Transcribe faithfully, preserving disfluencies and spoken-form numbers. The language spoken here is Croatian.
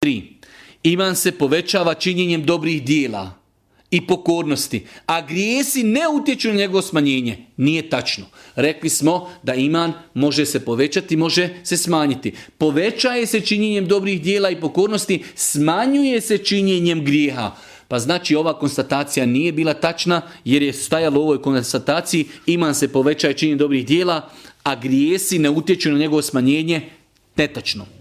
tri. Iman se povećava činjenjem dobrih dijela i pokornosti, a grijesi ne utječu na njegovo smanjenje. Nije tačno. Rekli smo da iman može se povećati, može se smanjiti. Povećaje se činjenjem dobrih dijela i pokornosti, smanjuje se činjenjem grijeha. Pa znači ova konstatacija nije bila tačna, jer je stajalo u ovoj konstataciji iman se povećaje činjenjem dobrih dijela, a grijesi ne utječu na njegovo smanjenje. Netačno.